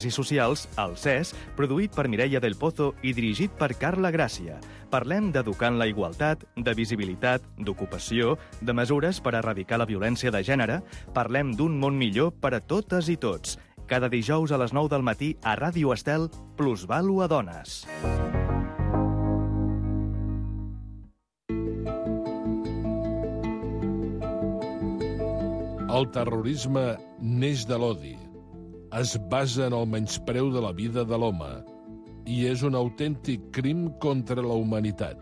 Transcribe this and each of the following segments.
i socials, el CES, produït per Mireia del Pozo i dirigit per Carla Gràcia. Parlem d'educar en la igualtat, de visibilitat, d'ocupació, de mesures per erradicar la violència de gènere. Parlem d'un món millor per a totes i tots. Cada dijous a les 9 del matí a Ràdio Estel, Plusvàlua Dones. El terrorisme neix de l'odi. Es basa en el menyspreu de la vida de l'home i és un autèntic crim contra la humanitat.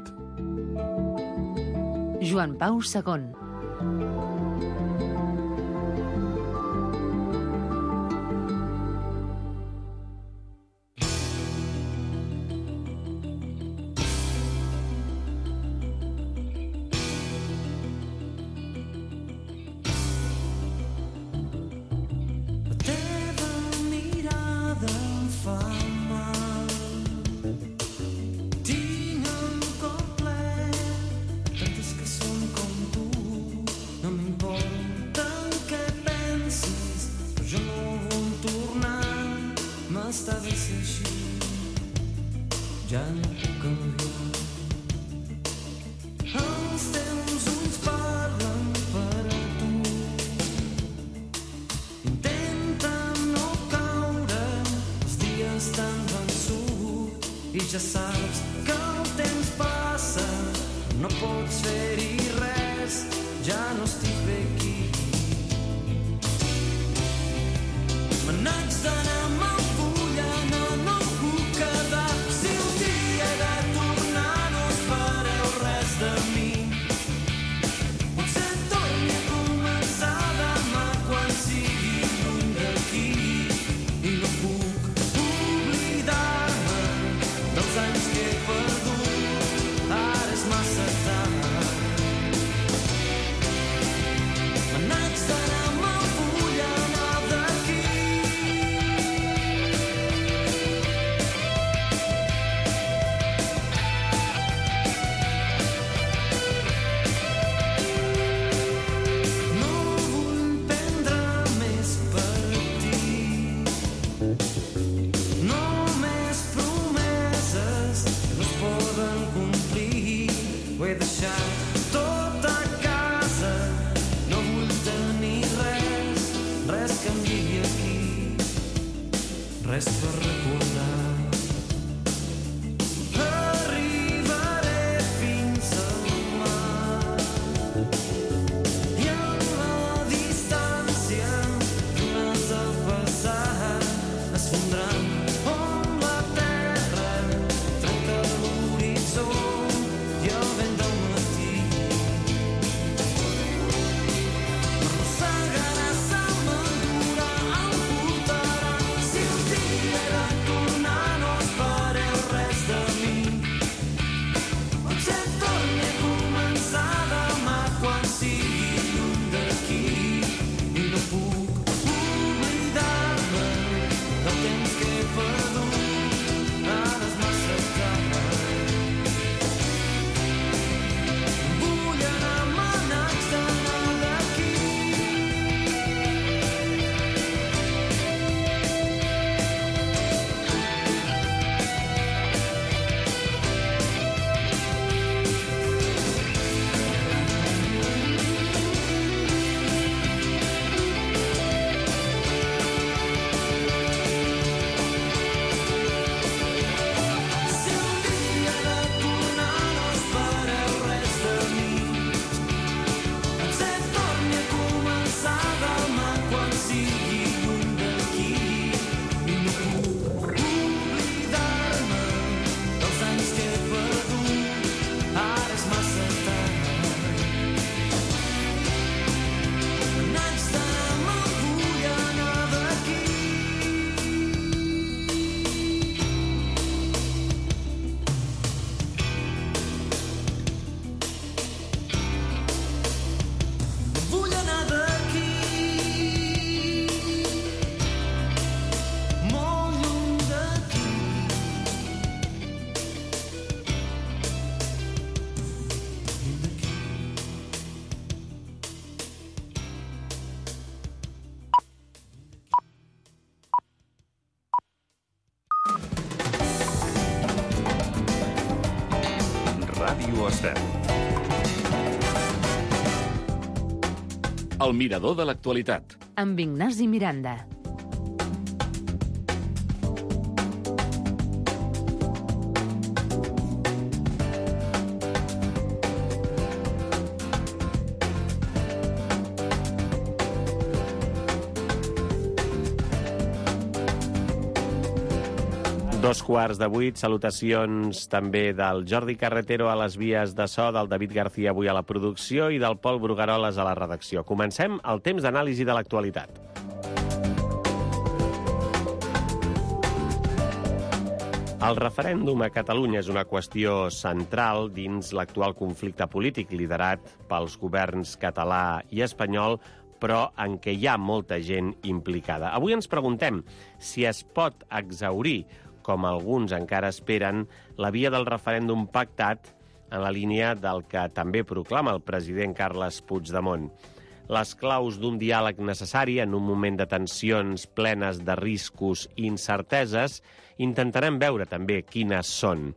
Joan Pau II. Ja saps que el temps passa, no pots fer-hi res, ja no estic bé aquí. Me n'haig d'anar amb el fulla, no puc quedar. Si un dia he de tornar no espereu res de mi. Potser torni a començar demà quan sigui lluny d'aquí i no puc oblidar-me dels anys que he perdut, ara és massa tard. Me n'haig d'anar amb el full a anar d'aquí. No vull prendre més partit. Només promeses no es poden complir. Ho he deixat tot a casa, no vull tenir res que em digui aquí, res per recordar. Arribaré fins al mar i en la distància que m'has de passar es fondran on la terra trenca l'horitzó i el vent del matí m'arrossegarà, se m'endurà, em portarà. Si un dia he de tornar Ràdio Estel. El mirador de l'actualitat. Amb Ignasi Miranda. Dos quarts de 8, salutacions també del Jordi Carretero a les vies de so, del David García avui a la producció i del Pol Brugaroles a la redacció. Comencem el temps d'anàlisi de l'actualitat. El referèndum a Catalunya és una qüestió central dins l'actual conflicte polític liderat pels governs català i espanyol, però en què hi ha molta gent implicada. Avui ens preguntem si es pot exhaurir, com alguns encara esperen, la via del referèndum pactat en la línia del que també proclama el president Carles Puigdemont. Les claus d'un diàleg necessari en un moment de tensions plenes de riscos i incerteses, intentarem veure també quines són.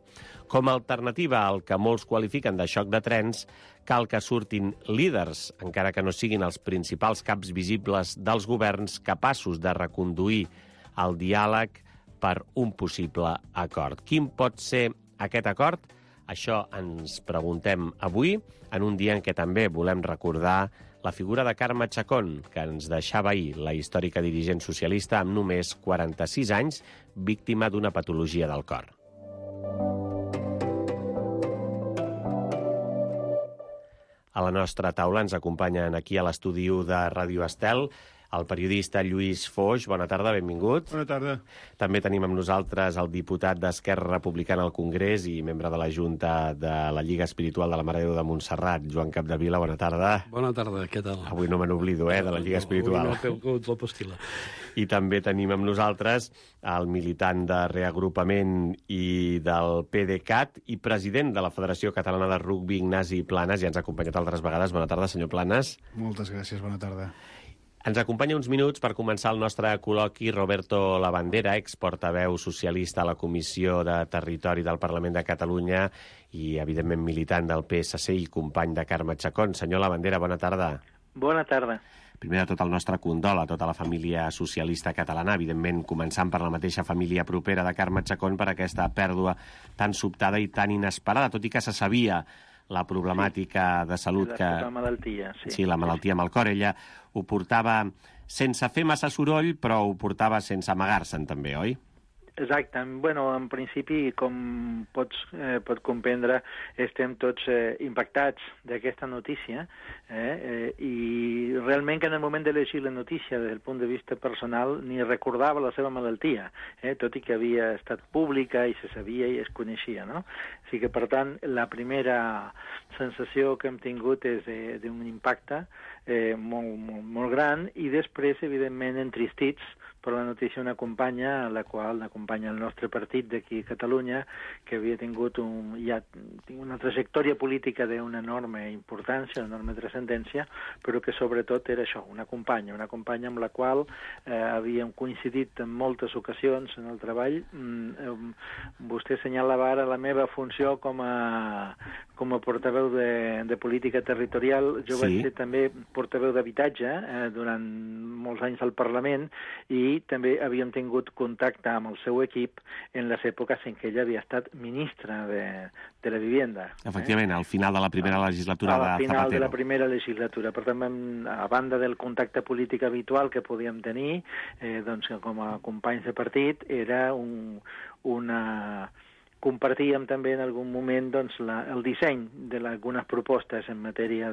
Com a alternativa al que molts qualifiquen de xoc de trens, cal que surtin líders, encara que no siguin els principals caps visibles dels governs, capaços de reconduir el diàleg per un possible acord. Quin pot ser aquest acord? Això ens preguntem avui, en un dia en què també volem recordar la figura de Carme Chacón, que ens deixava ahir, la històrica dirigent socialista amb només 46 anys, víctima d'una patologia del cor. A la nostra taula ens acompanyen aquí a l'estudi de Ràdio Estel el periodista Lluís Foix. Bona tarda, benvingut. Bona tarda. També tenim amb nosaltres el diputat d'Esquerra Republicana al Congrés i membre de la Junta de la Lliga Espiritual de la Mare de Déu de Montserrat, Joan Capdevila. Bona tarda. Bona tarda, què tal? Avui no me n'oblido, de la Lliga Espiritual. Avui no la pastila. I també tenim amb nosaltres el militant de reagrupament i del PDeCAT i president de la Federació Catalana de Rugbi, Ignasi Planes. Ja ens ha acompanyat altres vegades. Bona tarda, senyor Planes. Moltes gràcies, bona tarda. Ens acompanya uns minuts per començar el nostre col·loqui Roberto Labandera, exportaveu socialista a la Comissió de Territori del Parlament de Catalunya i, evidentment, militant del PSC i company de Carme Chacón. Senyor Labandera, bona tarda. Bona tarda. Primer de tot, el nostre condol a tota la família socialista catalana, evidentment començant per la mateixa família propera de Carme Chacón per aquesta pèrdua tan sobtada i tan inesperada, tot i que se sabia la problemàtica de salut que... La malaltia, sí. Sí, la malaltia amb el cor. Ella ho portava sense fer massa soroll, però ho portava sense amagar-se'n també, oi? Exacte. Bueno, en principi, com pot comprendre, estem tots impactats d'aquesta notícia i realment que en el moment de llegir la notícia des del punt de vista personal ni recordava la seva malaltia, tot i que havia estat pública i se sabia i es coneixia, no? O sigui que, per tant, la primera sensació que hem tingut és d'un impacte molt gran i després, evidentment, entristits per la notícia una companya, la qual acompanya el nostre partit d'aquí a Catalunya, que havia tingut una trajectòria política d'una enorme importància, una enorme transcendència, però que sobretot era això, una companya amb la qual havíem coincidit en moltes ocasions en el treball. Vostè assenyalava ara la meva funció com a portaveu de política territorial. Jo vaig ser també portaveu d'habitatge durant molts anys al Parlament i també havíem tingut contacte amb el seu equip en les èpoques en què ella havia estat ministra de la Vivienda. Efectivament, al final de la primera legislatura de Zapatero. Al final de la primera legislatura. Per tant, a banda del contacte polític habitual que podíem tenir, doncs, com a companys de partit, era compartíem també en algun moment doncs, el disseny d'algunes propostes en matèria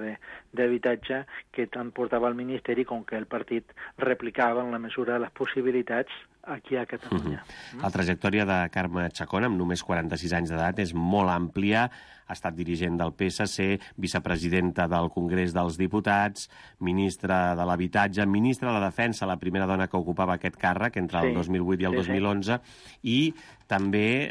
d'habitatge que tant portava el Ministeri com que el partit replicava en la mesura de les possibilitats aquí a Catalunya. La trajectòria de Carme Chacón, amb només 46 anys d'edat, és molt àmplia. Ha estat dirigent del PSC, vicepresidenta del Congrés dels Diputats, ministra de l'Habitatge, ministra de la Defensa, la primera dona que ocupava aquest càrrec entre el 2008 i el 2011, i també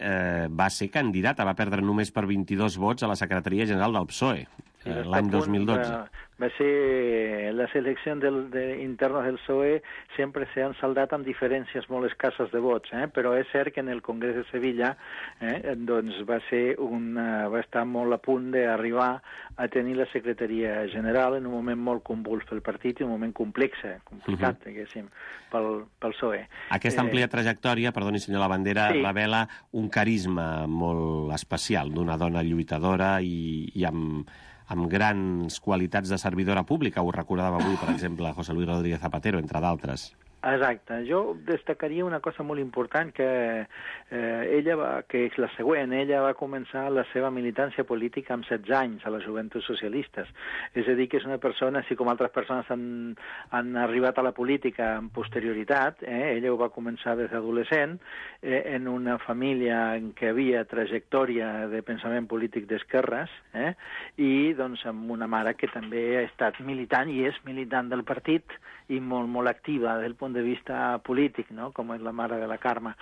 va ser candidata, va perdre només per 22 vots a la secretaria general del PSOE. l'any 2012. Va ser les eleccions internes del PSOE sempre s'han saldat amb diferències molt escasses de vots, però és cert que en el Congrés de Sevilla doncs va estar molt a punt d'arribar a tenir la secretaria general en un moment molt convuls pel partit i un moment complicat, diguéssim, pel PSOE. Aquesta àmplia trajectòria, perdoni senyor Labandera, revela un carisma molt especial d'una dona lluitadora i amb grans qualitats de servidora pública. Ho recordava avui, per exemple, José Luis Rodríguez Zapatero, entre d'altres. Exacte. Jo destacaria una cosa molt important que és la següent. Ella va començar la seva militància política amb 16 anys a les Joventuts Socialistes. És a dir, que és una persona, així com altres persones han arribat a la política amb posterioritat, ella ho va començar des d'adolescent, en una família en què havia trajectòria de pensament polític d'esquerres, i doncs amb una mare que també ha estat militant i és militant del partit i molt, molt activa des del punt de vista polític, no? Com és la mare de la Carme,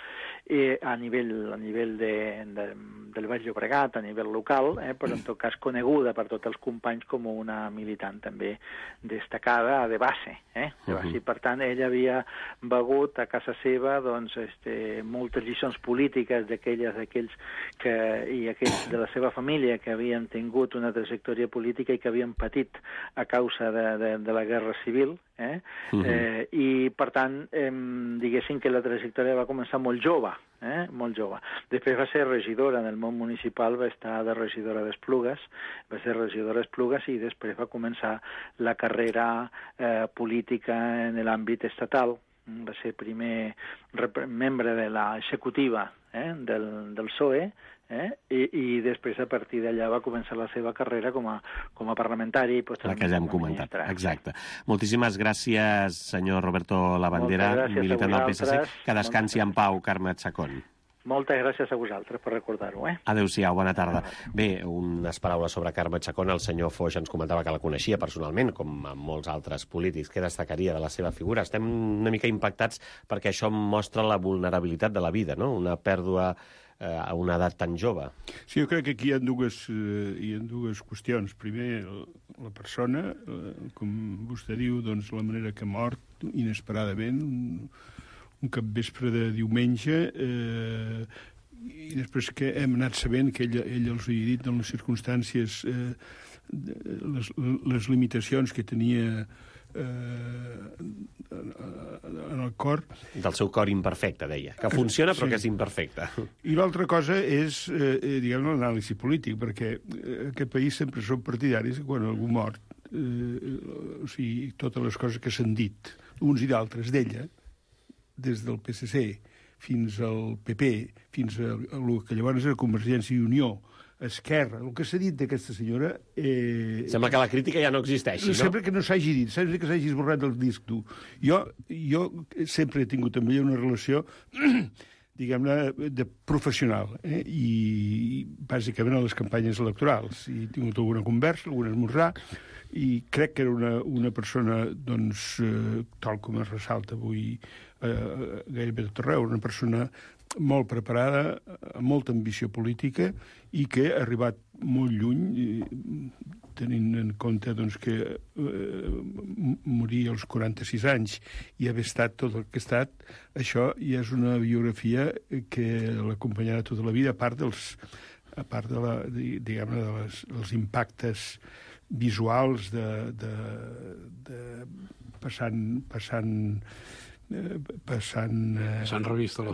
a nivell del Baix Llobregat, a nivell local, però en tot cas coneguda per tots els companys com una militant també destacada de base. I per tant, ella havia begut a casa seva doncs, moltes lliçons polítiques d'aquells i aquells de la seva família que havien tingut una trajectòria política i que havien patit a causa de la Guerra Civil, i per tant diguéssim que la trajectòria va començar molt jove, molt jove. Després va ser regidora en el món municipal, va estar de regidora d'Esplugues, i després va començar la carrera política en l'àmbit estatal. Va ser primer membre de l'executiva del PSOE, i després a partir d'allà va començar la seva carrera com a parlamentari i posteriorment la que ja hem comentat. Exacte. Moltíssimes gràcies, senyor Roberto Labandera, militant del PSC. Que descansi en pau, Carme Chacón. Moltes gràcies a vosaltres per recordar-ho. Adéu-siau, bona tarda. Bé, unes paraules sobre Carme Chacón. El senyor Foix ens comentava que la coneixia personalment, com amb molts altres polítics. Què destacaria de la seva figura? Estem una mica impactats perquè això mostra la vulnerabilitat de la vida, no? Una pèrdua a una edat tan jove. Sí, jo crec que aquí hi ha dues qüestions. Primer, la persona, com vostè diu, doncs la manera que ha mort inesperadament, un capvespre de diumenge, i després que hem anat sabent que ell els havia dit en les circumstàncies, les limitacions que tenia en el cor. Del seu cor imperfecte, deia. Que funciona, però que és imperfecte. I l'altra cosa és, diguem, l'anàlisi polític, perquè aquest país sempre són partidaris que quan algú mort, o sigui, totes les coses que s'han dit, uns i d'altres d'ella, des del PSC fins al PP, fins a el que llavors era Convergència i Unió, Esquerra, el que s'ha dit d'aquesta senyora... Sembla que la crítica ja no existeixi, no? Sempre que no s'hagi dit, sempre que s'hagi esborrat del disc dur. Jo sempre he tingut amb ella una relació, diguem-ne, de professional, i bàsicament a les campanyes electorals. I he tingut alguna conversa, algun esmorzar, i crec que era una persona, doncs, tal com es ressalta avui gairebé tot arreu, una persona molt preparada, amb molta ambició política i que ha arribat molt lluny, tenint en compte doncs, que morir als 46 anys i haver estat tot el que ha estat, això ja és una biografia que l'acompanyarà tota la vida, a part dels impactes visuals passant revista a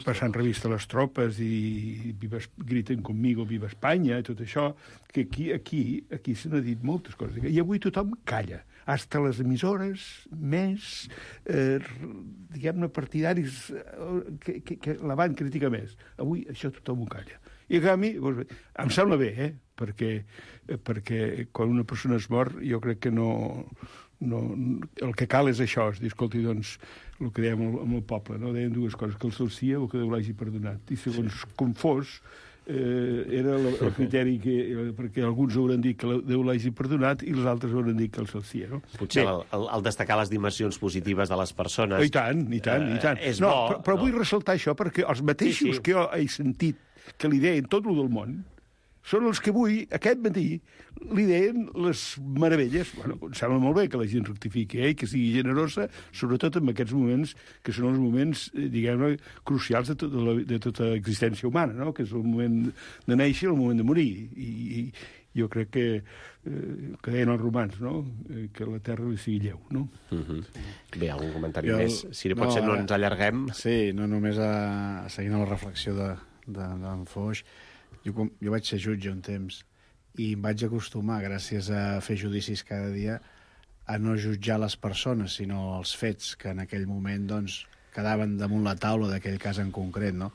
les tropes i griten conmigo, viva Espanya, i tot això, que aquí se n'ha dit moltes coses. I avui tothom calla, hasta les emissores més, diguem-ne, partidaris que la van criticar més. Avui això tothom ho calla. I a canvi, em sembla bé, perquè quan una persona es mor, jo crec que no, el que cal és això, és dir, escolti, doncs, el que dèiem amb el poble, no? Deien dues coses, que el salsia o que Déu l'hagi perdonat. I segons com fos, era el criteri perquè alguns hauran dit que Déu l'hagi perdonat i els altres hauran dit que el salsia, no? Potser el destacar les dimensions positives de les persones... I tant. És bo. Però vull ressaltar això perquè els mateixos que jo he sentit que li deien tot el del món, són els que avui, aquest matí, li deien les meravelles. Bueno, em sembla molt bé que la gent rectifiqui, que sigui generosa, sobretot en aquests moments, que són els moments, diguem-ne, crucials de tota existència humana, no? Que és el moment de néixer i el moment de morir. I jo crec que deien els romans, no? Que la terra li sigui lleu, no? Bé, algun comentari més? Si pot ser no ens allarguem. Sí, no només seguint la reflexió d'en Foix. Jo vaig ser jutge un temps i em vaig acostumar, gràcies a fer judicis cada dia, a no jutjar les persones, sinó els fets que en aquell moment doncs, quedaven damunt la taula d'aquell cas en concret, no?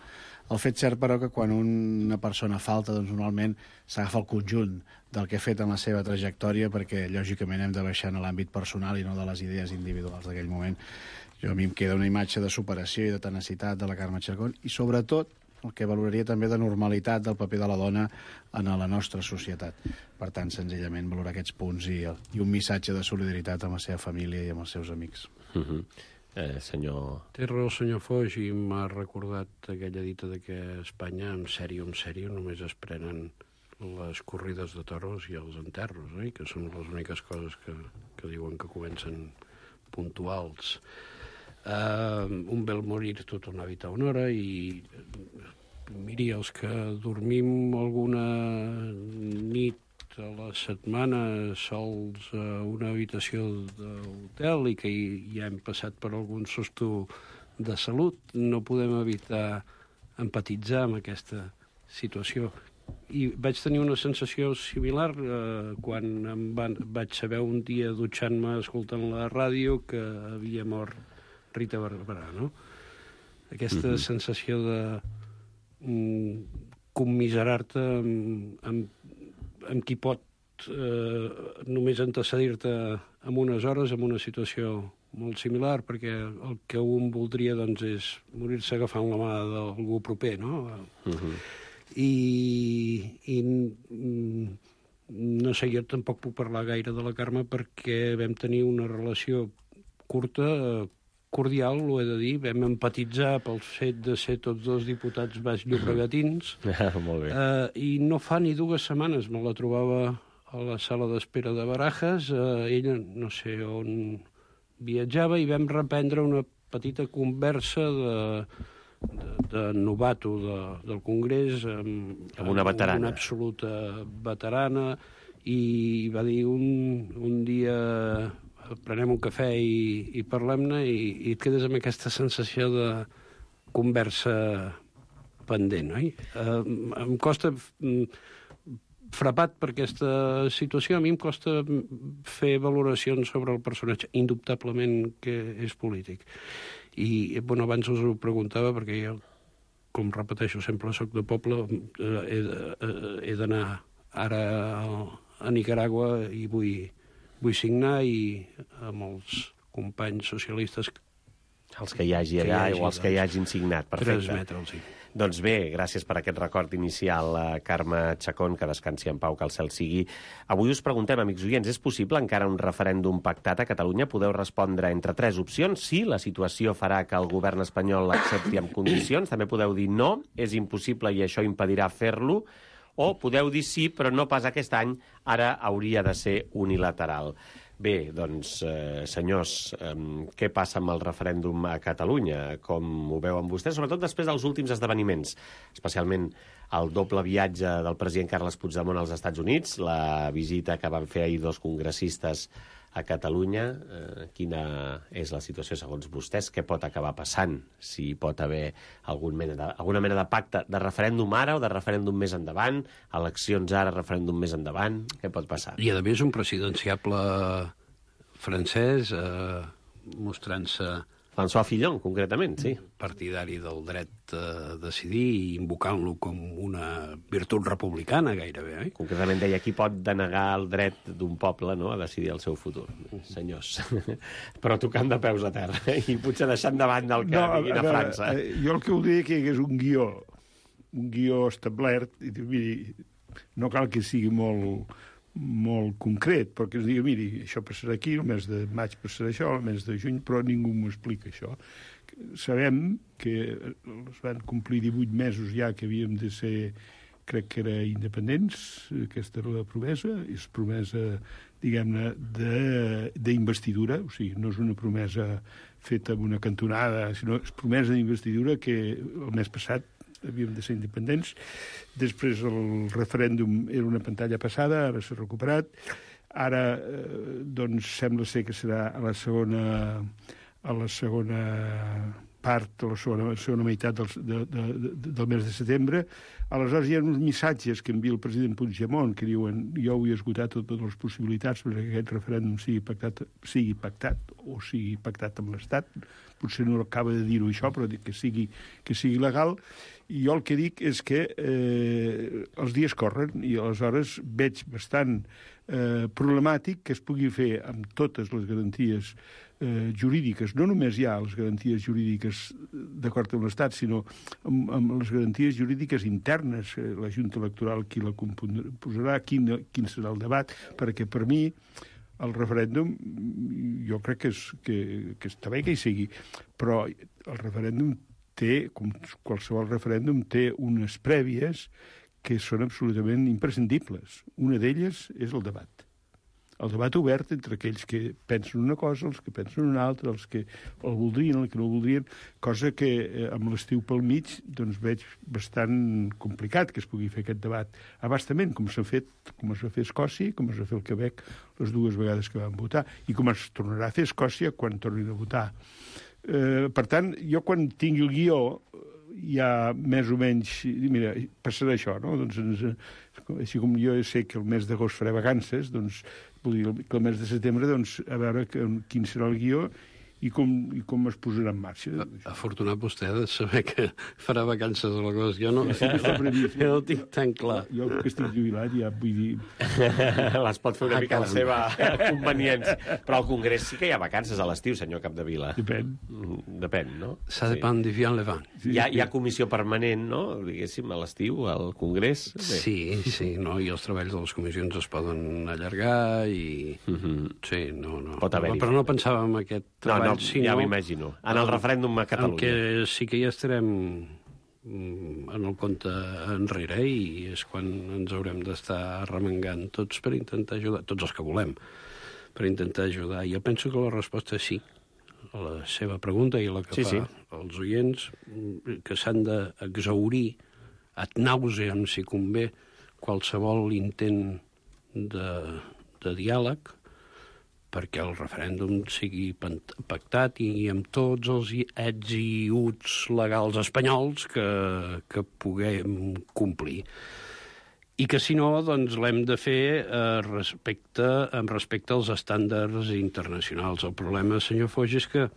El fet cert, però, que quan una persona falta, doncs normalment s'agafa el conjunt del que ha fet en la seva trajectòria, perquè lògicament hem de baixar en l'àmbit personal i no de les idees individuals d'aquell moment. A mi em queda una imatge de superació i de tenacitat de la Carme Chacón i, sobretot, el que valoraria també de normalitat del paper de la dona en la nostra societat. Per tant, senzillament, valorar aquests punts i un missatge de solidaritat amb la seva família i amb els seus amics. Senyor... Té raó el senyor Foix i m'ha recordat aquella dita de que a Espanya, en sèrio, només es prenen les corrides de toros i els enterros, que són les úniques coses que diuen que comencen puntuals. Un vel morir tot un hàbit a una hora i miri, els que dormim alguna nit a la setmana sols a una habitació d'hotel i que ja hem passat per algun susto de salut, no podem evitar empatitzar amb aquesta situació. I vaig tenir una sensació similar quan vaig saber un dia dutxant-me escoltant la ràdio que havia mort Rita Barberà, no? Aquesta sensació de commiserar-te amb qui pot només antecedir-te en unes hores, en una situació molt similar, perquè el que un voldria doncs, és morir-se agafant la mà d'algú proper, no? I no sé, jo tampoc puc parlar gaire de la Carme perquè vam tenir una relació curta, cordial, ho he de dir, vam empatitzar pel fet de ser tots dos diputats baix-llobregatins. Molt bé. I no fa ni 2 setmanes me la trobava a la sala d'espera de Barajas. Ella no sé on viatjava i vam reprendre una petita conversa de novato del Congrés amb una veterana. Una absoluta veterana, i va dir un dia prenem un cafè i parlem-ne i et quedes amb aquesta sensació de conversa pendent, oi? Em costa, frapat per aquesta situació, a mi em costa fer valoracions sobre el personatge, indubtablement que és polític. I, bueno, abans us ho preguntava perquè jo, com repeteixo, sempre soc de poble, he d'anar ara a Nicaragua i vull signar i amb els companys socialistes... Els que hi hagi allà o els que hi hagin signat, perfecte. Transmetre'ls, sí. Doncs bé, gràcies per aquest record inicial, Carme Chacón, que descansi en pau, que el cel sigui. Avui us preguntem, amics oients, és possible encara un referèndum pactat a Catalunya? Podeu respondre entre 3 opcions. Sí, la situació farà que el govern espanyol l'accepti amb condicions. També podeu dir no, és impossible i això impedirà fer-lo. O podeu dir sí, però no pas aquest any, ara hauria de ser unilateral. Bé, doncs, senyors, què passa amb el referèndum a Catalunya? Com ho veuen vostès? Sobretot després dels últims esdeveniments, especialment el doble viatge del president Carles Puigdemont als Estats Units, la visita que van fer ahir 2 congressistes a Catalunya. Quina és la situació segons vostès? Què pot acabar passant? Si pot haver alguna mena de pacte de referèndum ara o de referèndum més endavant, eleccions ara, referèndum més endavant, què pot passar? I a més un presidenciable francès mostrant-se François Fillon, concretament, sí. Partidari del dret a decidir i invocant-lo com una virtut republicana, gairebé, oi? Concretament deia qui pot denegar el dret d'un poble, no?, a decidir el seu futur. Senyors. Però tocant de peus a terra i potser deixant de banda el que vinguin a França. Jo el que voldria que hi hagués un guió establert, i miri, no cal que sigui molt concret, perquè es digui, miri, això passarà aquí, el mes de maig passarà això, el mes de juny, però ningú m'ho explica, això. Sabem que es van complir 18 mesos ja que havíem de ser crec que era independents, aquesta era la promesa, és promesa, diguem-ne, d'investidura, o sigui, no és una promesa feta amb una cantonada, sinó és promesa d'investidura que el mes passat havíem de ser independents. Després el referèndum era una pantalla passada, ara s'ha recuperat. Ara, doncs, sembla ser que serà a la segona part, a la segona meitat del mes de setembre. Aleshores hi ha uns missatges que envia el president Puigdemont que diuen jo vull esgotar totes les possibilitats perquè aquest referèndum sigui pactat o sigui pactat amb l'Estat. Potser no acaba de dir-ho això, però que sigui legal. I jo el que dic és que els dies corren i aleshores veig bastant problemàtic que es pugui fer amb totes les garanties jurídiques. No només hi ha les garanties jurídiques d'acord amb l'Estat, sinó amb les garanties jurídiques internes, la Junta Electoral qui la composarà, quin serà el debat, perquè per mi el referèndum jo crec que està bé que hi sigui, però el referèndum té, com qualsevol referèndum, té unes prèvies que són absolutament imprescindibles. Una d'elles és el debat. El debat obert entre aquells que pensen una cosa, els que pensen una altra, els que el voldrien, els que no el voldrien, cosa que amb l'estiu pel mig doncs veig bastant complicat que es pugui fer aquest debat abastament, com es va fer a Escòcia, com es va fer al Quebec les dues vegades que van votar, i com es tornarà a fer a Escòcia quan tornin a votar. Per tant, jo quan tingui el guió ja més o menys... Mira, passarà això, no? Doncs, així com jo sé que el mes d'agost faré vacances, doncs vull dir que el mes de setembre, doncs, a veure quin serà el guió i com es posarà en marxa. Afortunat vostè de saber que farà vacances a l'agost. Jo no ho tinc tan clar. Jo que estic jubilat ja vull dir... Les pot fer una mica a la seva conveniència. Però al Congrés sí que hi ha vacances a l'estiu, senyor Capdevila. Depèn, no? Ça dépend du vent le vent. Hi ha comissió permanent, no? Diguéssim, a l'estiu, al Congrés. Sí, no? I els treballs de les comissions es poden allargar i... Sí, no. Pot haver-hi. Però no pensàvem en aquest treball. No, ja m'imagino. En el referèndum a Catalunya. En què sí que ja estarem en el compte enrere i és quan ens haurem d'estar arremangant tots per intentar ajudar, tots els que volem, per intentar ajudar. Jo penso que la resposta és sí, a la seva pregunta i la que fa als oients, que s'han d'exhaurir ad nauseam, si convé, qualsevol intent de diàleg, perquè el referèndum sigui pactat i amb tots els ets i uts legals espanyols que puguem complir. I que, si no, doncs l'hem de fer amb respecte als estàndards internacionals. El problema, senyor Foix, és que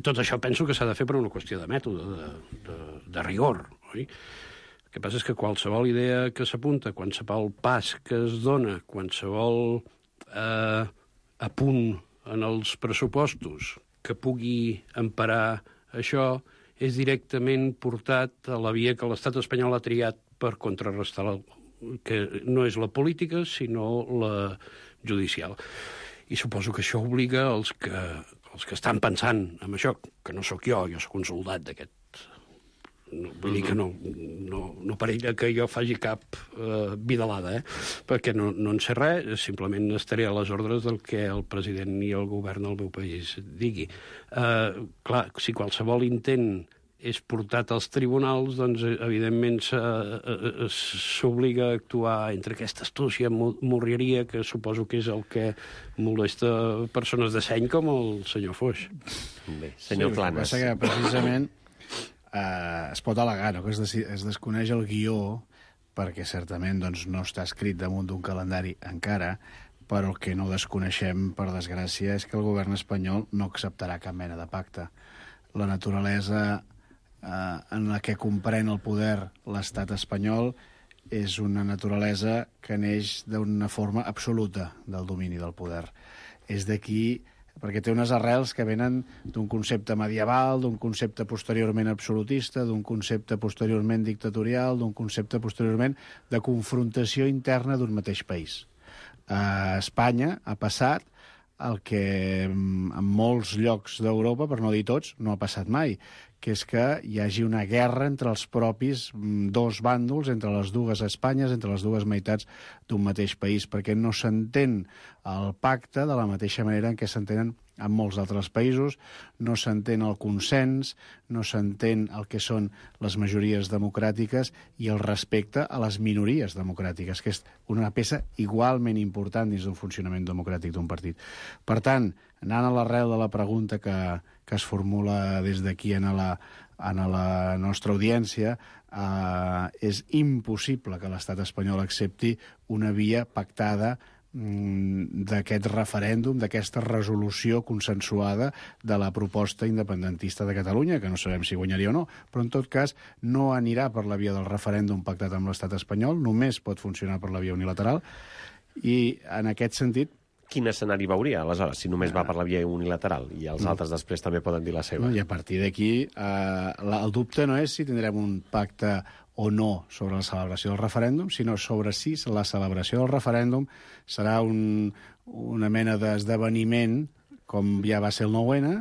tot això penso que s'ha de fer per una qüestió de mètode, de rigor, oi? El que passa és que qualsevol idea que s'apunta, qualsevol pas que es dona, qualsevol apunt en els pressupostos que pugui emparar això és directament portat a la via que l'estat espanyol ha triat per contrarrestar que no és la política sinó la judicial. I suposo que això obliga els que estan pensant en això, que no sóc jo sóc un soldat d'aquest. No, vull dir que no parella que jo faci cap vidalada, perquè no en sé res, simplement estaré a les ordres del que el president i el govern del meu país digui. Clar, si qualsevol intent és portat als tribunals, doncs evidentment s'obliga a actuar entre aquesta astúcia, morrieria, que suposo que és el que molesta persones de seny com el senyor Foix. Bé, senyor Planes. Sí, que precisament es pot al·legar, no? Que es desconeix el guió perquè certament doncs, no està escrit damunt d'un calendari encara, però el que no desconeixem, per desgràcia, és que el govern espanyol no acceptarà cap mena de pacte. La naturalesa en la que comprèn el poder l'estat espanyol és una naturalesa que neix d'una forma absoluta del domini del poder. És d'aquí perquè té unes arrels que venen d'un concepte medieval, d'un concepte posteriorment absolutista, d'un concepte posteriorment dictatorial, d'un concepte posteriorment de confrontació interna d'un mateix país. A Espanya ha passat el que en molts llocs d'Europa, per no dir tots, no ha passat mai, que és que hi hagi una guerra entre els propis dos bàndols, entre les dues Espanyes, entre les dues meitats d'un mateix país, perquè no s'entén el pacte de la mateixa manera en què s'entenen en molts altres països, no s'entén el consens, no s'entén el que són les majories democràtiques i el respecte a les minories democràtiques, que és una peça igualment important dins d'un funcionament democràtic d'un partit. Per tant, anant a l'arrel de la pregunta que es formula des d'aquí en la nostra audiència, és impossible que l'estat espanyol accepti una via pactada d'aquest referèndum, d'aquesta resolució consensuada de la proposta independentista de Catalunya, que no sabem si guanyaria o no, però en tot cas no anirà per la via del referèndum pactat amb l'estat espanyol, només pot funcionar per la via unilateral, i en aquest sentit quin escenari veuria, aleshores, si només va per la via unilateral i els altres després també poden dir la seva? I a partir d'aquí, el dubte no és si tindrem un pacte o no sobre la celebració del referèndum, sinó sobre si la celebració del referèndum serà una mena d'esdeveniment, com ja va ser el 9-N,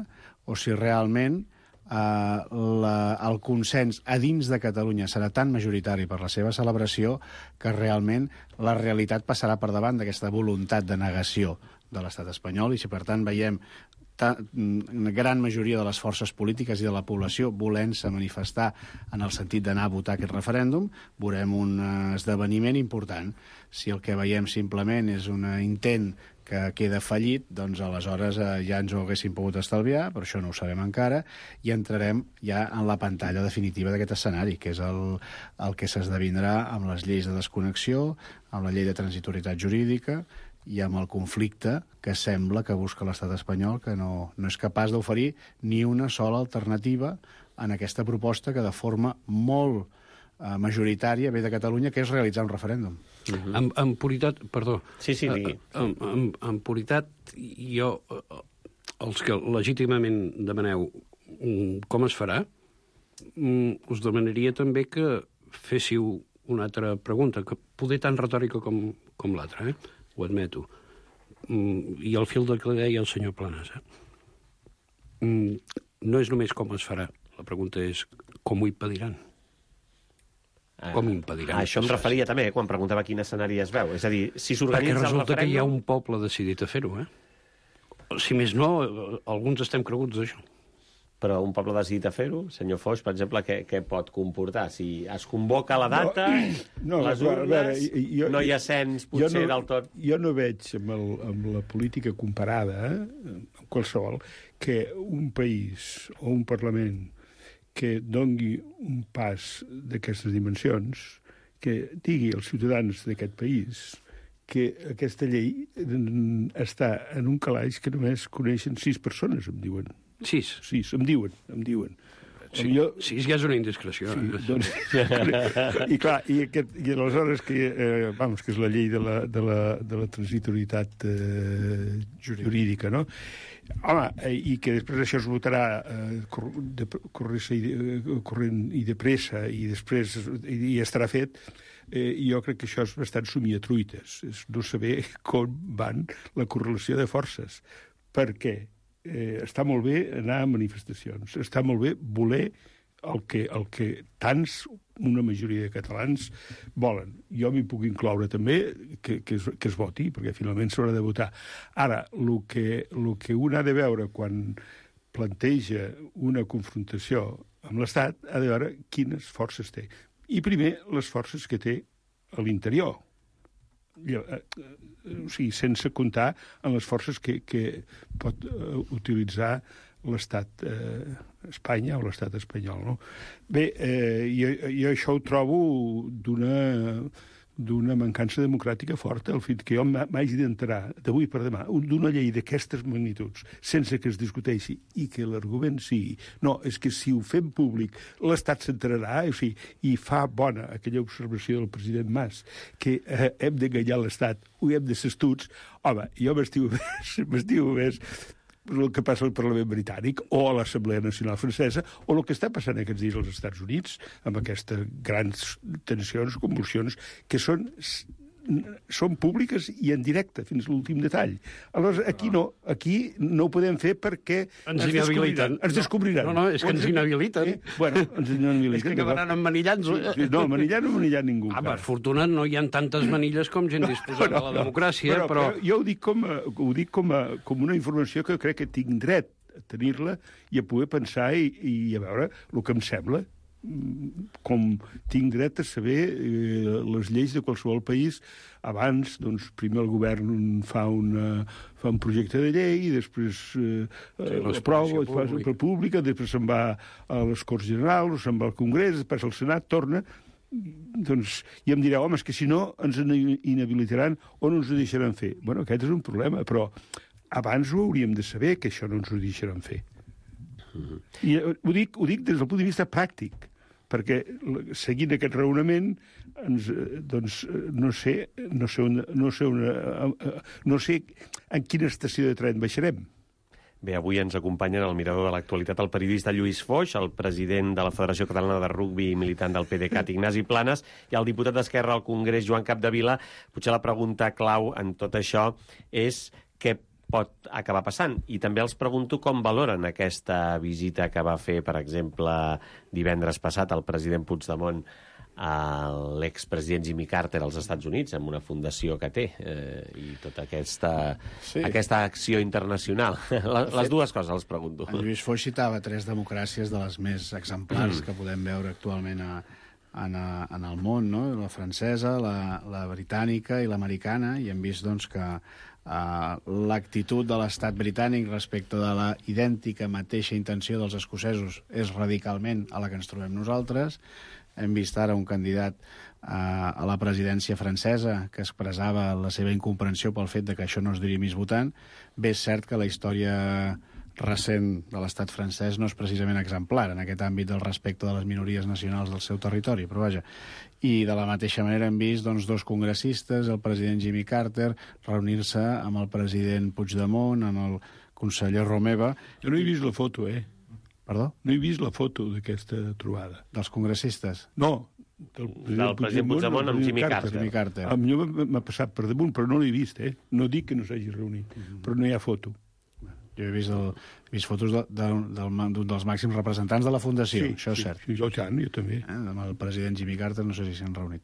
o si realment el consens a dins de Catalunya serà tan majoritari per la seva celebració que realment la realitat passarà per davant d'aquesta voluntat de negació de l'estat espanyol, i si per tant veiem una gran majoria de les forces polítiques i de la població volent-se manifestar en el sentit d'anar a votar aquest referèndum, veurem un esdeveniment important. Si el que veiem simplement és un intent que queda fallit, doncs aleshores ja ens ho haguéssim pogut estalviar, però això no ho sabem encara, i entrarem ja en la pantalla definitiva d'aquest escenari, que és el que s'esdevindrà amb les lleis de desconnexió, amb la llei de transitorietat jurídica i amb el conflicte que sembla que busca l'estat espanyol, que no és capaç d'oferir ni una sola alternativa en aquesta proposta que de forma molt majoritària ve de Catalunya, que és realitzar un referèndum. En puritat, perdó. Sí, digui. En puritat, jo, els que legítimament demaneu com es farà, us demanaria també que féssiu una altra pregunta, que poder tan retòrica com l'altra, ho admeto. I al fil del que deia el senyor Planas. No és només com es farà, la pregunta és com ho impediran. Com impediran? Això em referia també, quan preguntava quin escenari es veu. És a dir, si s'organitza el referèndum... Perquè resulta que hi ha un poble decidit a fer-ho, Si més no, alguns estem creguts d'això. Però un poble decidit a fer-ho, senyor Foix, per exemple, què pot comportar? Si es convoca la data, les urnes, no hi ha cens potser del tot... Jo no veig amb la política comparada, qualsevol, que un país o un Parlament que dongui un pas d'aquestes dimensions, que digui als ciutadans d'aquest país que aquesta llei està en un calaix que només coneixen 6 persones, em diuen. 6? 6, em diuen. Sí, 6 ja és una indiscreció. Sí, doncs, i clar, i aleshores que és la llei de la transitorietat jurídica, no? Home, i que després això es votarà corrent i de pressa i després i estarà fet, jo crec que això és bastant somiatruites, és no saber com van la correlació de forces, perquè està molt bé anar a manifestacions, està molt bé voler el que tants, una majoria de catalans, volen. Jo m'hi puc incloure també que es voti, perquè finalment s'haurà de votar. Ara, el que un ha de veure quan planteja una confrontació amb l'Estat, ha de veure quines forces té. I primer, les forces que té a l'interior. O sigui, sense comptar en les forces que pot utilitzar l'estat Espanya o l'estat espanyol, no? Bé, jo això ho trobo d'una mancança democràtica forta, el fet que jo m'hagi d'entrar d'avui per demà d'una llei d'aquestes magnituds sense que es discuteixi i que l'argument sigui no, és que si ho fem públic l'Estat s'entrarà, o sigui, i fa bona aquella observació del president Mas que hem d'enganyar l'Estat, ho hem de ser astuts, home, jo m'estimo més el que passa al Parlament britànic o a l'Assemblea Nacional Francesa o el que està passant aquests dies als Estats Units amb aquestes grans tensions, convulsions, que són són públiques i en directe, fins a l'últim detall. Aleshores, aquí no ho podem fer perquè ens inhabiliten. Ens descobriran. No, és que ens inhabiliten. Bueno, ens inhabiliten. És que acabaran emmanillant-nos. No, manillar no manillar ningú. Per fortuna no hi ha tantes manilles com gent disposada a la democràcia, però... Jo ho dic com una informació que crec que tinc dret a tenir-la i a poder pensar i a veure el que em sembla. Com tinc dret a saber les lleis de qualsevol país abans, doncs, primer el govern fa un projecte de llei, després aprova, fa pública, després se'n va a les Corts Generals, se'n va al Congrés, després al Senat, torna, doncs, i em direu, home, és que si no ens inhabilitaran o no ens ho deixaran fer. Bueno, aquest és un problema, però abans ho hauríem de saber, que això no ens ho deixaran fer. I ho dic des del punt de vista pràctic, perquè seguint aquest raonament doncs no sé en quina estació de tren baixarem. Bé, avui ens acompanya en el mirador de l'actualitat el periodista Lluís Foix, el president de la Federació Catalana de Rugbi i militant del PDeCAT, Ignasi Planes, i el diputat d'Esquerra al Congrés, Joan Capdevila. Potser la pregunta clau en tot això és què pot acabar passant. I també els pregunto com valoren aquesta visita que va fer, per exemple, divendres passat el president Puigdemont a l'expresident Jimmy Carter als Estats Units, amb una fundació que té, i tota aquesta acció internacional. Les dues coses els pregunto. En Lluís Foix citava 3 democràcies de les més exemplars que podem veure actualment en el món, no? La francesa, la britànica i l'americana, i hem vist doncs, que l'actitud de l'estat britànic respecte de la idèntica mateixa intenció dels escocesos és radicalment a la que ens trobem nosaltres. Hem vist ara un candidat a la presidència francesa que expressava la seva incomprensió pel fet de que això no es dirimís votant. Bé, és cert que la història recent de l'estat francès no és precisament exemplar en aquest àmbit del respecte de les minories nacionals del seu territori, però vaja. I de la mateixa manera hem vist doncs, 2 congressistes, el president Jimmy Carter, reunir-se amb el president Puigdemont, amb el conseller Romeva. Jo no he vist la foto, Perdó? No he vist la foto d'aquesta trobada. Dels congressistes? No, del president Puigdemont amb Jimmy Carter. A mi m'ha passat per damunt, però no l'he vist, No dic que no s'hagi reunit, però no hi ha foto. Jo he vist fotos d'un dels màxims representants de la Fundació, això és cert. Sí, jo també. Amb el president Jimmy Carter no sé si s'han reunit.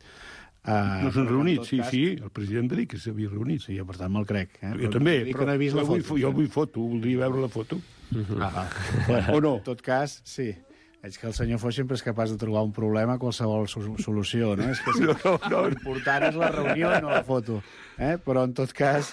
No s'han reunit, sí, el president va dir que s'havia reunit. Sí, per tant me'l crec. Jo també, però no he vist la foto. Jo vull foto, voldria veure la foto. O no? En tot cas, sí. Veig que el senyor Foix sempre és capaç de trobar un problema a qualsevol solució, no? És que l'important és la reunió i no la foto. Però, en tot cas,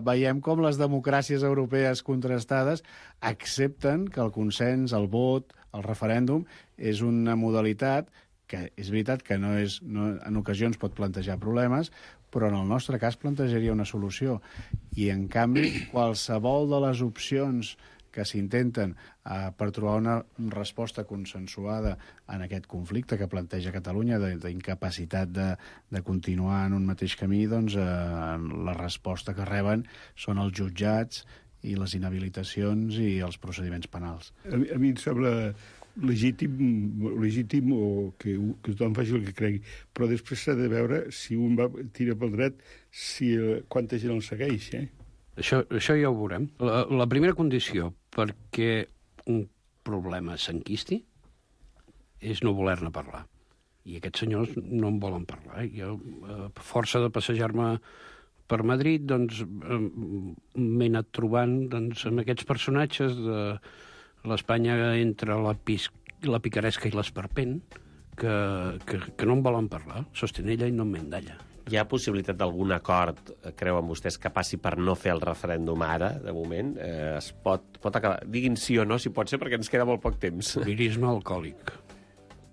veiem com les democràcies europees contrastades accepten que el consens, el vot, el referèndum, és una modalitat que és veritat que en ocasions pot plantejar problemes, però en el nostre cas plantejaria una solució. I, en canvi, qualsevol de les opcions que s'intenten per trobar una resposta consensuada en aquest conflicte que planteja Catalunya, d'incapacitat de continuar en un mateix camí, doncs la resposta que reben són els jutjats i les inhabilitacions i els procediments penals. A mi em sembla legítim o que tothom faci el que cregui, però després s'ha de veure si un tira pel dret, quanta gent el segueix, Això ja ho veurem. La primera condició perquè un problema s'enquisti és no voler-ne parlar. I aquests senyors no en volen parlar. Jo, a força de passejar-me per Madrid, doncs, m'he anat trobant amb aquests personatges de l'Espanya entre la picaresca i l'esperpent que no en volen parlar. Sostenella i no m'endalla. Hi ha possibilitat d'algun acord, creuen vostès, que passi per no fer el referèndum ara, de moment? Es pot acabar. Diguin sí o no, si pot ser, perquè ens queda molt poc temps. Lirisme alcohòlic.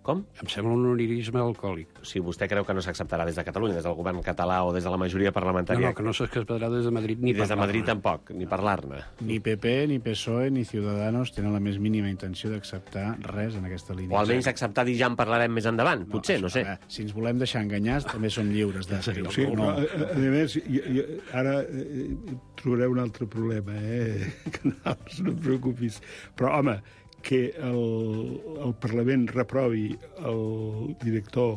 Com? Em sembla un unirisme alcohòlic. Si vostè creu que no s'acceptarà des de Catalunya, des del govern català o des de la majoria parlamentària... No, que no s'acceptarà des de Madrid ni des de Madrid tampoc, ni parlar-ne. Ni PP, ni PSOE, ni Ciudadanos tenen la més mínima intenció d'acceptar res en aquesta línia. O almenys acceptar dir ja en parlarem més endavant, potser, no sé. Si ens volem deixar enganyar, també som lliures de fer-ho. Sí, no. A més, ara trobareu un altre problema, Canals, no et preocupis. Però, home, que el Parlament reprovi el director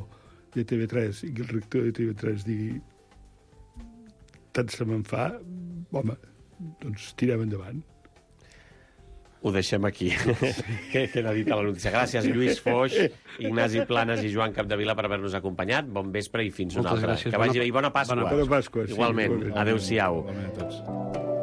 de TV3 i que el rector de TV3 digui tant se me'n fa, home, doncs tirem endavant. Ho deixem aquí. Queda dit a la notícia. Gràcies, Lluís Foix, Ignasi Planes i Joan Capdevila per haver-nos acompanyat. Bon vespre i fins una altra. Gràcies. Que vagi bé i bona Pasqua. Bona Pasqua. Igualment. Sí, Adéu-siau. Igualment a tots.